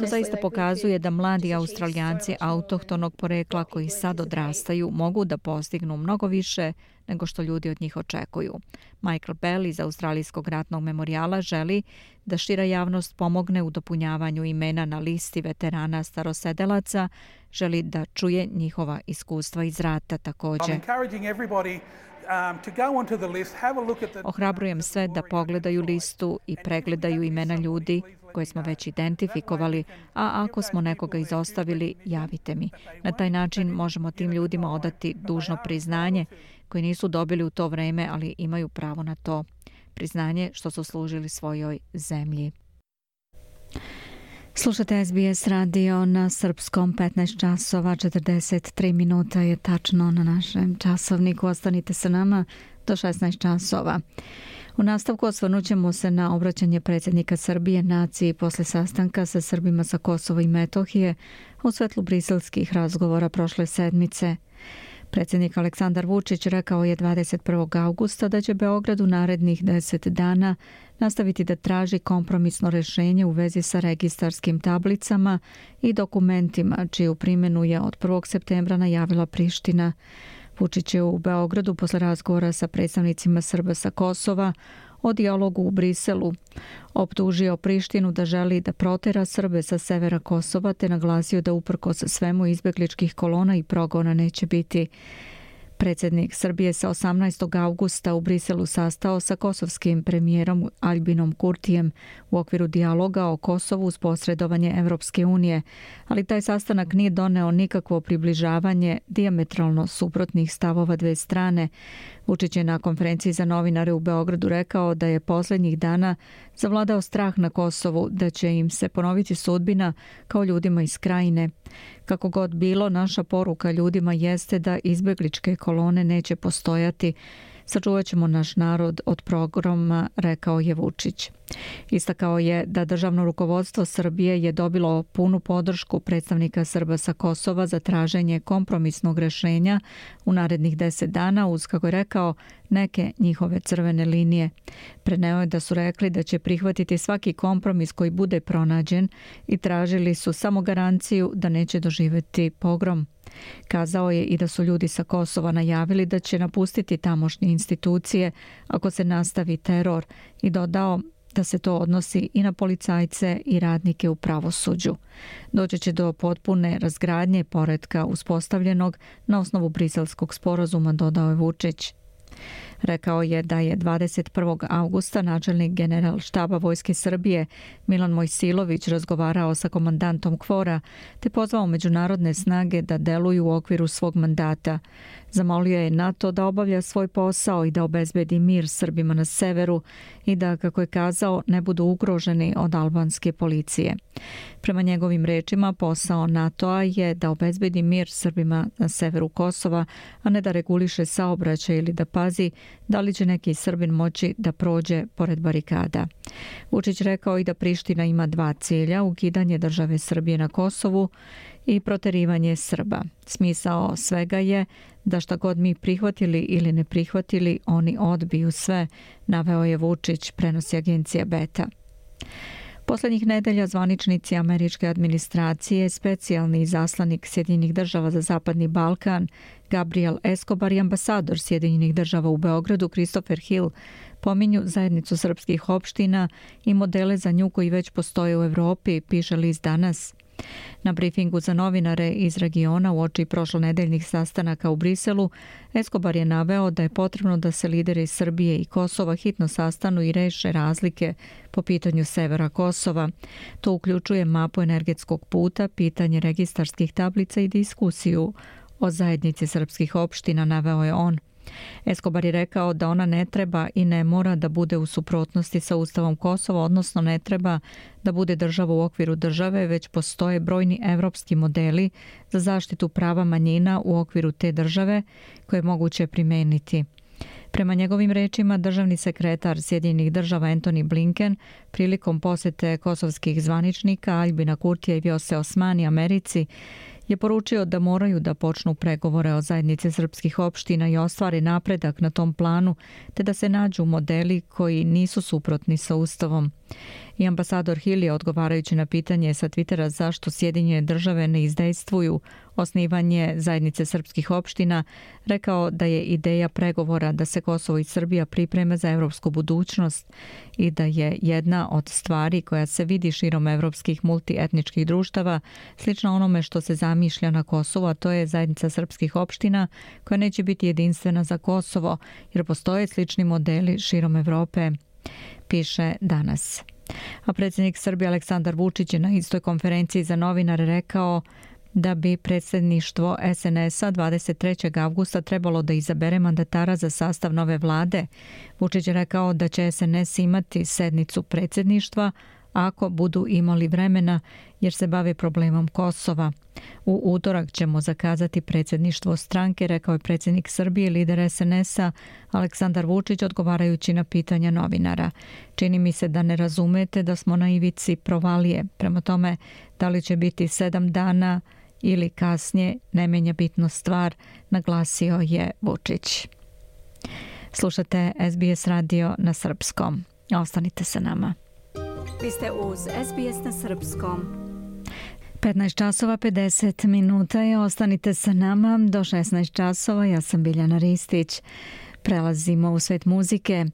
To zaista pokazuje da mladi Australijanci autohtonog porekla koji sad odrastaju mogu da postignu mnogo više nego što ljudi od njih očekuju. Michael Bell iz Australijskog ratnog memorijala želi da šira javnost pomogne u dopunjavanju imena na listi veterana starosedelaca, želi da čuje njihova iskustva iz rata također. Ohrabrujem sve da pogledaju listu i pregledaju imena ljudi koje smo već identifikovali, a ako smo nekoga izostavili, javite mi. Na taj način možemo tim ljudima odati dužno priznanje koje nisu dobili u to vreme, ali imaju pravo na to. Priznanje što su služili svojoj zemlji. Slušate S B S radio na srpskom, petnaest časova četrdeset tri minuta je tačno na našem časovniku. Ostanite sa nama do šesnaest časova. U nastavku osvrnut ćemo se na obraćanje predsjednika Srbije naciji posle sastanka sa Srbima sa Kosova i Metohije u svetlu briselskih razgovora prošle sedmice. Predsjednik Aleksandar Vučić rekao je dvadeset prvog augusta da će Beograd u narednih deset dana nastaviti da traži kompromisno rješenje u vezi sa registarskim tablicama i dokumentima, čiju primjenu je od prvog septembra najavila Priština. Vučić je u Beogradu posle razgovora sa predstavnicima Srba sa Kosova o dijalogu u Briselu optužio Prištinu da želi da protera Srbe sa severa Kosova, te naglasio da uprkos svemu izbjegličkih kolona i progona neće biti. Predsjednik Srbije se osamnaestog augusta u Briselu sastao sa kosovskim premijerom Aljbinom Kurtijem u okviru dijaloga o Kosovu uz posredovanje Evropske unije, ali taj sastanak nije doneo nikakvo približavanje dijametralno suprotnih stavova dve strane. Vučić je na konferenciji za novinare u Beogradu rekao da je posljednjih dana zavladao strah na Kosovu da će im se ponoviti sudbina kao ljudima iz Krajine. Kako god bilo, naša poruka ljudima jeste da izbjegličke kolone neće postojati. Sačuvat ćemo naš narod od pogroma, rekao je Vučić. Istakao je da državno rukovodstvo Srbije je dobilo punu podršku predstavnika Srba sa Kosova za traženje kompromisnog rješenja u narednih deset dana uz, kako je rekao, neke njihove crvene linije. Preneo je da su rekli da će prihvatiti svaki kompromis koji bude pronađen i tražili su samo garanciju da neće doživjeti pogrom. Kazao je i da su ljudi sa Kosova najavili da će napustiti tamošnje institucije ako se nastavi teror i dodao da se to odnosi i na policajce i radnike u pravosuđu. Doći će do potpune razgradnje poretka uspostavljenog na osnovu briselskog sporazuma, dodao je Vučić. Rekao je da je dvadeset prvog augusta načelnik general štaba Vojske Srbije Milan Mojsilović razgovarao sa komandantom KFOR-a te pozvao međunarodne snage da deluju u okviru svog mandata. Zamolio je NATO da obavlja svoj posao i da obezbedi mir Srbima na severu i da, kako je kazao, ne budu ugroženi od albanske policije. Prema njegovim rečima, posao NATO-a je da obezbedi mir Srbima na severu Kosova, a ne da reguliše saobraćaj ili da pazi da li će neki Srbin moći da prođe pored barikada. Vučić rekao i da Priština ima dva cilja, ukidanje države Srbije na Kosovu i proterivanje Srba. Smisao svega je da šta god mi prihvatili ili ne prihvatili, oni odbiju sve, naveo je Vučić, prenosi agencija Beta. Poslednjih nedelja zvaničnici američke administracije, specijalni izaslanik Sjedinjenih država za Zapadni Balkan, Gabriel Escobar i ambasador Sjedinjenih država u Beogradu, Christopher Hill, pominju zajednicu srpskih opština i modele za nju koji već postoje u Evropi, piše list Danas. Na brifingu za novinare iz regiona uoči prošlonedeljnih sastanaka u Briselu, Escobar je naveo da je potrebno da se lideri Srbije i Kosova hitno sastanu i reše razlike po pitanju severa Kosova. To uključuje mapu energetskog puta, pitanje registarskih tablica i diskusiju o zajednici srpskih opština, naveo je on. Escobar je rekao da ona ne treba i ne mora da bude u suprotnosti sa Ustavom Kosova, odnosno ne treba da bude država u okviru države, već postoje brojni evropski modeli za zaštitu prava manjina u okviru te države koje je moguće primeniti. Prema njegovim rečima, državni sekretar Sjedinjenih država Antony Blinken prilikom posete kosovskih zvaničnika Aljbina Kurtija i Vjose Osmani Americi je poručio da moraju da počnu pregovore o zajednici srpskih opština i ostvare napredak na tom planu, te da se nađu modeli koji nisu suprotni sa Ustavom. I ambasador Hill je, odgovarajući na pitanje sa Twittera zašto Sjedinjene države ne izdejstvuju osnivanje zajednice srpskih opština, rekao da je ideja pregovora da se Kosovo i Srbija pripreme za evropsku budućnost i da je jedna od stvari koja se vidi širom evropskih multietničkih društava slična onome što se zamišlja na Kosovu, a to je zajednica srpskih opština koja neće biti jedinstvena za Kosovo, jer postoje slični modeli širom Evrope, piše Danas. A predsjednik Srbije Aleksandar Vučić je na istoj konferenciji za novinare rekao da bi predsjedništvo es en es a dvadeset trećeg avgusta trebalo da izabere mandatara za sastav nove vlade. Vučić je rekao da će es en es imati sednicu predsjedništva ako budu imali vremena jer se bave problemom Kosova. U utorak ćemo zakazati predsjedništvo stranke, rekao je predsjednik Srbije, lider es en es a Aleksandar Vučić odgovarajući na pitanja novinara. Čini mi se da ne razumete da smo na ivici provalije. Prema tome, da li će biti sedam dana ili kasnije, ne menja bitnu stvar, naglasio je Vučić. Slušate es be es radio na srpskom. Ostanite sa nama. Vi ste uz es be es na srpskom. petnaest časova pedeset minuta je, ostanite sa nama do šesnaest časova. Ja sam Biljana Ristić. Prelazimo u svet muzike.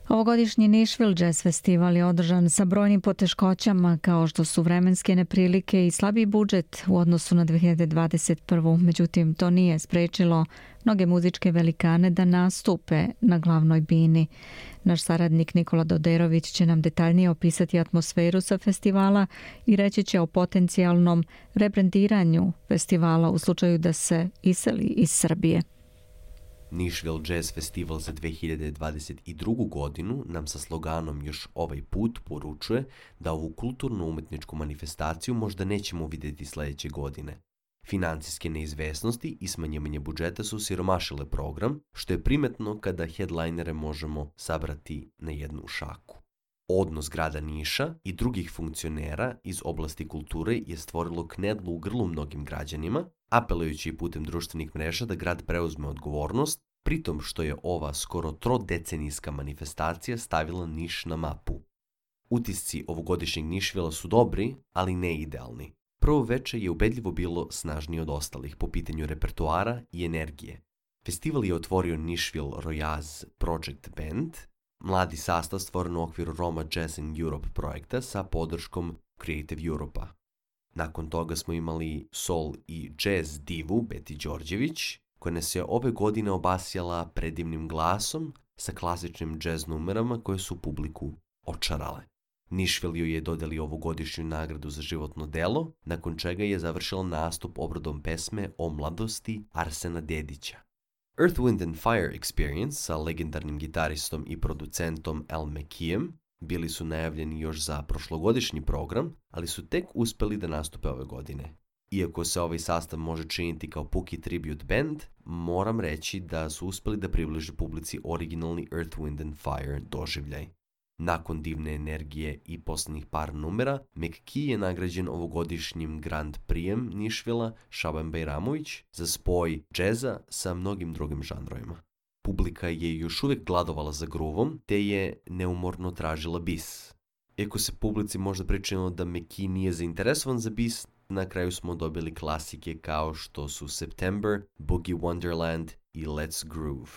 Ovogodišnji Nashville Jazz Festival je održan sa brojnim poteškoćama kao što su vremenske neprilike i slabiji budžet u odnosu na dve hiljade dvadeset prvu. Međutim, to nije sprečilo mnoge muzičke velikane da nastupe na glavnoj bini. Naš saradnik Nikola Doderović će nam detaljnije opisati atmosferu sa festivala i reći će o potencijalnom rebrandiranju festivala u slučaju da se iseli iz Srbije. Nashville Jazz Festival za dve hiljade dvadeset drugu. godinu nam sa sloganom Još ovaj put poručuje da ovu kulturno-umetničku manifestaciju možda nećemo vidjeti sljedeće godine. Financijske neizvesnosti i smanjivanje budžeta su siromašile program, što je primetno kada headlinere možemo sabrati na jednu šaku. Odnos grada Niša i drugih funkcionera iz oblasti kulture je stvorilo knedlu u grlu mnogim građanima, apelujući putem društvenih mreža da grad preuzme odgovornost, pritom što je ova skoro trodecenijska manifestacija stavila Niš na mapu. Utisci ovogodišnjeg Nashvilla su dobri, ali ne idealni. Prvo veče je ubedljivo bilo snažnije od ostalih po pitanju repertoara i energije. Festival je otvorio Nashville Royaz Project Band, mladi sastav stvoren u okviru Roma Jazz in Europe projekta sa podrškom Creative Europa. Nakon toga smo imali soul i jazz divu Beti Đorđević, koja nas je ove godine obasjala predivnim glasom sa klasičnim jazz numerama koje su publiku očarale. Nashville joj je dodelio ovogodišnju nagradu za životno delo, nakon čega je završila nastup obradom pesme o mladosti Arsena Dedića. Earth, Wind and Fire Experience sa legendarnim gitaristom i producentom Al McKeem bili su najavljeni još za prošlogodišnji program, ali su tek uspeli da nastupe ove godine. Iako se ovaj sastav može činiti kao puki tribute band, moram reći da su uspeli da približe publici originalni Earth, Wind and Fire doživljaj. Nakon divne energije i posljednjih par numera, McKee je nagrađen ovogodišnjim Grand Prijem Nashvilla Šaban Bajramović za spoj džeza sa mnogim drugim žanrovima. Publika je još uvijek gladovala za groovom, te je neumorno tražila bis. Iako se publici možda pričinilo da McKee nije zainteresovan za bis, na kraju smo dobili klasike kao što su September, Boogie Wonderland i Let's Groove.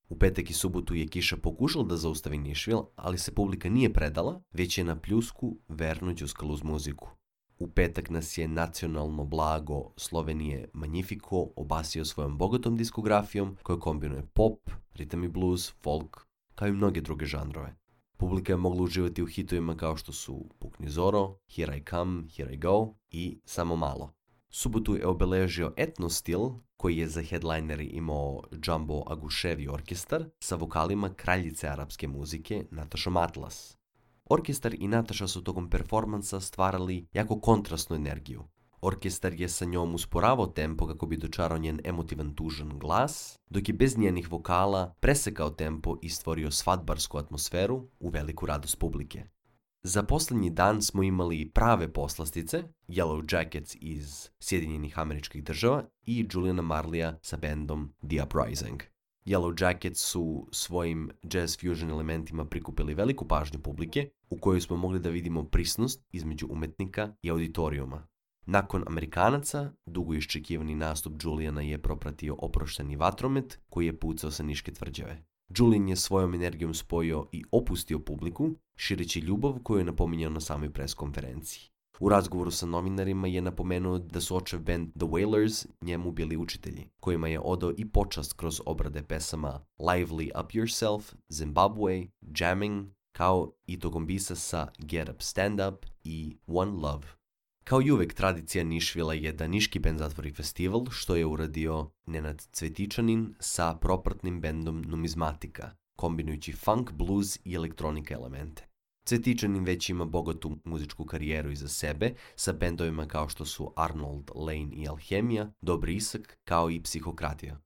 U petak i subotu je kiša pokušala da zaustavi Nashville, ali se publika nije predala, već je na pljusku verno đuskala uz muziku. U petak nas je nacionalno blago Slovenije Magnifico obasio svojom bogatom diskografijom koja kombinuje pop, ritam i blues, folk, kao i mnoge druge žanrove. Publika je mogla uživati u hitovima kao što su Pukni Zoro, Here I Come, Here I Go i Samo malo. Subotu je obeležio etno stil koji je za headlineri imao Jumbo Aguševi orkestar sa vokalima kraljice arapske muzike Natašom Atlas. Orkestar i Nataša su tokom performansa stvarali jako kontrastnu energiju. Orkestar je sa njom usporavao tempo kako bi dočarao njen emotivan tužan glas, dok je bez njenih vokala presekao tempo i stvorio svadbarsku atmosferu u veliku radost publike. Za posljednji dan smo imali prave poslastice, Yellow Jackets iz Sjedinjenih Američkih Država i Juliana Marleya sa bandom The Uprising. Yellow Jackets su svojim jazz fusion elementima prikupili veliku pažnju publike, u kojoj smo mogli da vidimo prisnost između umetnika i auditorijuma. Nakon Amerikanaca, dugo iščekivani nastup Juliana je propratio oprošteni vatromet koji je pucao sa Niške tvrđave. Julian je svojom energijom spojio i opustio publiku, šireći ljubav koju je napominjao na samoj pres konferenciji. U razgovoru sa novinarima je napomenuo da su očev band The Wailers njemu bili učitelji, kojima je odao i počast kroz obrade pesama Lively Up Yourself, Zimbabwe, Jamming, kao i tokom bisa sa Get Up Stand Up i One Love. Kao i uvek, tradicija Nišvila je da niški bend zatvori festival, što je uradio Nenad Cvetičanin sa propratnim bendom Numizmatika, kombinujući funk, blues i elektronika elemente. Cvetičanin već ima bogatu muzičku karijeru iza sebe, sa bendovima kao što su Arnold, Lane i Alhemija, Dobri Isak, kao i Psihokratija.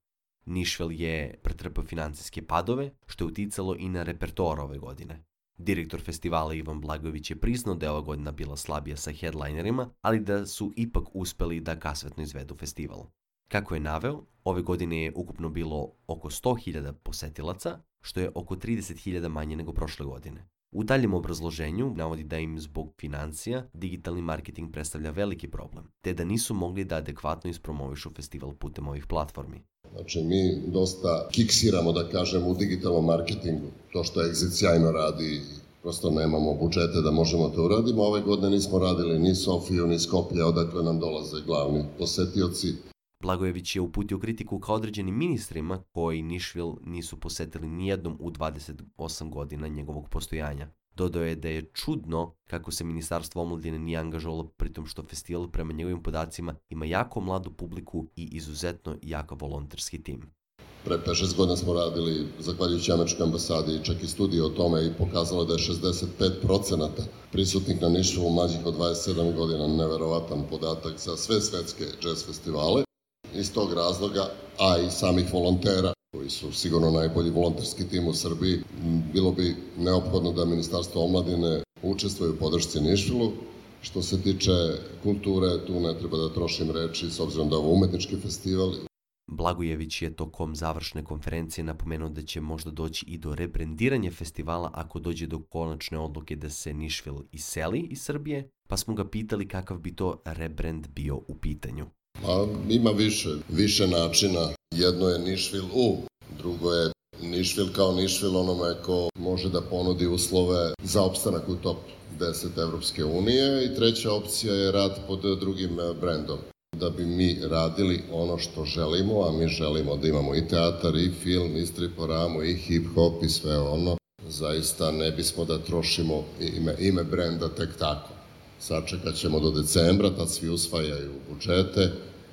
Nišvil je pretrpeo financijske padove, što je uticalo i na repertoar ove godine. Direktor festivala Ivan Blagojević je priznao da je ova godina bila slabija sa headlinerima, ali da su ipak uspeli da kasvetno izvedu festival. Kako je naveo, ove godine je ukupno bilo oko sto hiljada posetilaca, što je oko trideset hiljada manje nego prošle godine. U daljem obrazloženju navodi da im zbog financija digitalni marketing predstavlja veliki problem, te da nisu mogli da adekvatno ispromovišu festival putem ovih platformi. Znači, mi dosta kiksiramo, da kažem, u digitalnom marketingu. To što Exit sjajno radi, prosto nemamo budžete da možemo to uradimo. Ove godine nismo radili ni Sofiju, ni Skoplje, odakle nam dolaze glavni posetioci. Blagojević je uputio kritiku ka određenim ministrima koji Nišvil nisu posetili nijednom u dvadeset osam godina njegovog postojanja. Dodao je da je čudno kako se Ministarstvo omladine nije angažovalo, pritom što festival prema njegovim podacima ima jako mladu publiku i izuzetno jaka volonterski tim. Pre pet šest godina smo radili, zahvaljujući američkoj ambasadi, čak i studiju o tome i pokazalo da je šezdeset pet procenata prisutnih na Nišvilu mlađih od dvadeset sedam godina, neverovatan podatak za sve svetske jazz festivale. Iz tog razloga, a i samih volontera, koji su sigurno najbolji volonterski tim u Srbiji, bilo bi neophodno da Ministarstvo omladine učestvuje u podršci Nišvilu. Što se tiče kulture, tu ne treba da trošim reči, s obzirom da je ovo umetnički festival. Blagojević je tokom završne konferencije napomenuo da će možda doći i do rebrendiranja festivala ako dođe do konačne odluke da se Nišvil iseli iz Srbije, pa smo ga pitali kakav bi to rebrand bio u pitanju. Pa, ima više, više načina. Jedno je Nišvil U, drugo je Nišvil kao Nišvil onome ko može da ponudi uslove za opstanak u top deset Evropske unije i treća opcija je rad pod drugim brendom. Da bi mi radili ono što želimo, a mi želimo da imamo i teatar, i film, i striporamu, i hip-hop i sve ono, zaista ne bismo da trošimo ime, ime brenda tek tako. Sačekat ćemo do decembra, tad svi usvajaju budžete.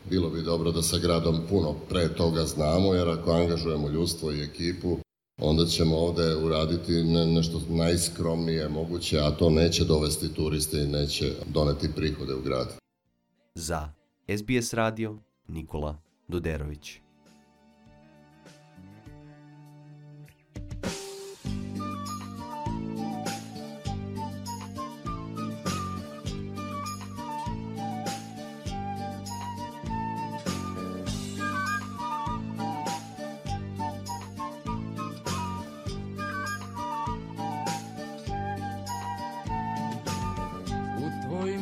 Bilo bi dobro da sa gradom puno pre toga znamo, jer ako angažujemo ljudstvo i ekipu, onda ćemo ovde uraditi ne, nešto najskromnije moguće, a to neće dovesti turiste i neće doneti prihode u grad. Za S B S radio, Nikola Doderović.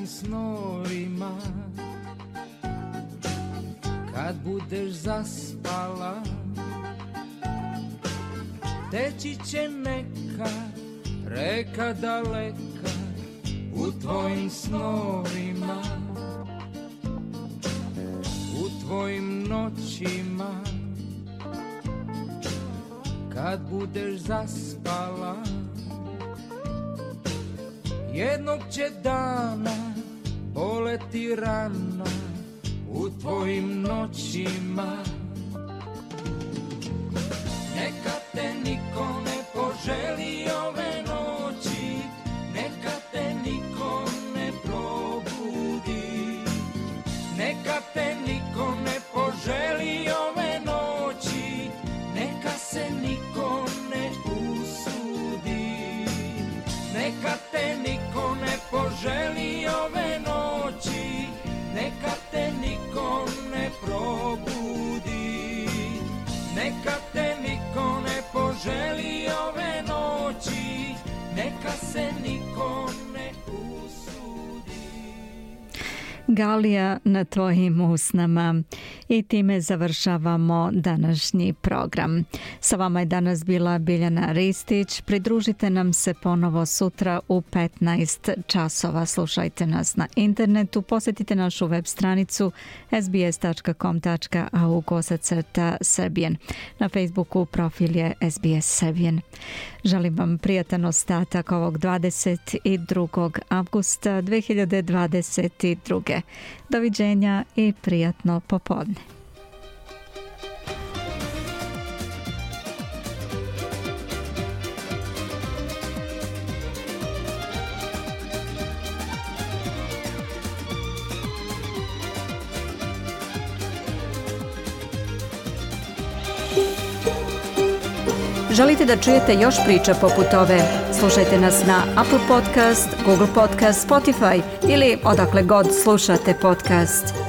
Snorima kad budeš zaspala teći će neka reka daleka u tvojim snorima, u tvojim noćima kad budeš zaspala jednog će dana poleti rana u tvojim noćima. Neka te niko ne poželi ove noći, neka te niko ne probudi, neka te niko ne poželi ove noći, neka se niko ne usudi, neka te niko ne poželi ove noći, neka te niko ne probudi, neka te niko ne poželi ove noći, neka se niko ne usudi. Galija na tvojim usnama. I time završavamo današnji program. Sa vama je danas bila Biljana Ristić. Pridružite nam se ponovo sutra u petnaest časova. Slušajte nas na internetu, posjetite našu web stranicu s b s tačka com tačka a u kosacrta Serbian. Na Facebooku profil je S B S Serbian. Želim vam prijatan ostatak ovog dvadeset drugog avgusta dve hiljade dvadeset druge. Doviđenja i prijatno popodne. Želite da čujete još priča poput ove? Slušajte nas na Apple Podcast, Google Podcast, Spotify ili odakle god slušate podcast.